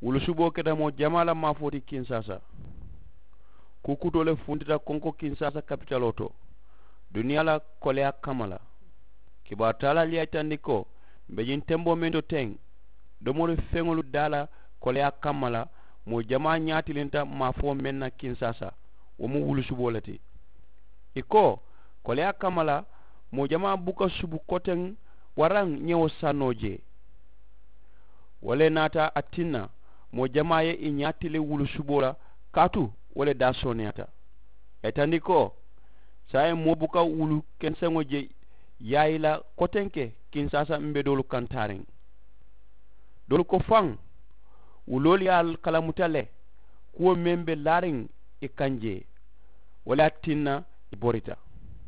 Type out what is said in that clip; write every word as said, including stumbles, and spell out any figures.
Wulu suboo keta moo jamaa la maafoo ti kinsaasa. Kuu kutoo le funtita konko kinsaasa kapitaloo to duniyaa la koleyaa kamma la. Kibaaru taalaalu ye a yitandi ko m̀ be ñiŋ temboo meŋ to teŋ, domori feŋolu daa la koleyaa kamma la, moo jamaa ñaatilinta maafoo meŋ na kinsaasa, wo mu wulu suboo le ti. Ì ko koleyaa kamma la, moo jamaa buka subu koteŋ waraŋ ñewo sannoo jee. Wo le naata a tinna moo jamaa ye ì ñaatili wulu suboo la, kaatu wo le daa sooneyaata. Ì ye tandi ko saayiŋ moo buka wulu kenseŋo je yaayi la kotenke kinsaasa m̀ be doolu kaŋ taariŋ. Doolu ko faŋ wuloolu ye a kalamuta le kuwo meŋ be laariŋ ì kaŋ jee, wo le ye a tinna ì borita.